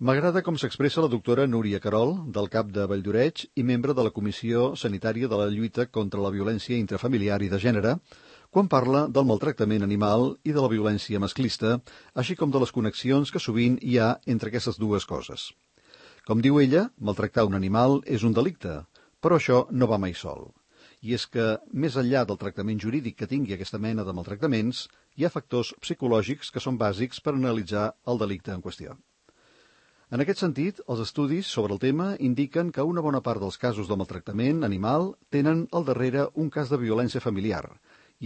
M'agrada com s'expressa la doctora Núria Querol, del CAP de Valldoreix i membre de la Comissió Sanitària de la Lluita contra la Violència Intrafamiliar i de Gènere, quan parla del maltractament animal i de la violència masclista, així com de les connexions que sovint hi ha entre aquestes dues coses. Com diu ella, maltractar un animal és un delicte, però això no va mai sol. I és que, més enllà del tractament jurídic que tingui aquesta mena de maltractaments, hi ha factors psicològics que són bàsics per analitzar el delicte en qüestió. En aquest sentit, els estudis sobre el tema indiquen que una bona part dels casos de maltractament animal tenen al darrere un cas de violència familiar,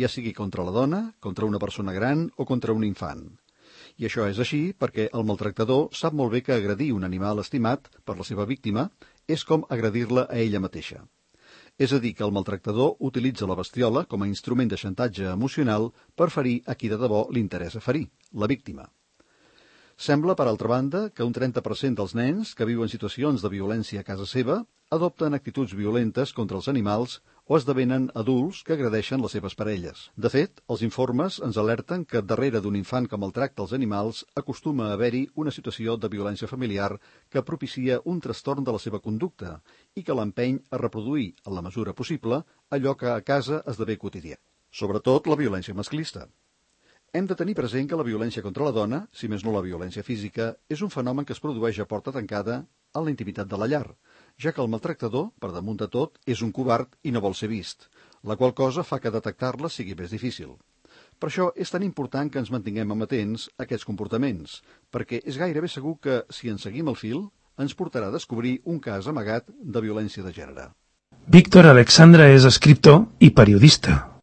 ja sigui contra la dona, contra una persona gran o contra un infant. I això és així perquè el maltractador sap molt bé que agredir un animal estimat per la seva víctima és com agredir-la a ella mateixa. És a dir, que el maltractador utilitza la bestiola com a instrument de xantatge emocional per ferir a qui de debò li interessa ferir, la víctima. Sembla, per altra banda, que un 30% dels nens que viuen situacions de violència a casa seva adopten actituds violentes contra els animals o esdevenen adults que agredeixen les seves parelles. De fet, els informes ens alerten que darrere d'un infant que maltracta els animals acostuma a haver-hi una situació de violència familiar que propicia un trastorn de la seva conducta i que l'empeny a reproduir, en la mesura possible, allò que a casa esdevé quotidià. Sobretot la violència masclista. Hem de tenir present que la violència contra la dona, si més no la violència física, és un fenomen que es produeix a porta tancada a la intimitat de la llar, ja que el maltractador, per damunt de tot, és un covard i no vol ser vist, la qual cosa fa que detectar-la sigui més difícil. Per això és tan important que ens mantinguem amatents a aquests comportaments, perquè és gairebé segur que, si en seguim el fil, ens portarà a descobrir un cas amagat de violència de gènere. Víctor Alexandra és escriptor i periodista.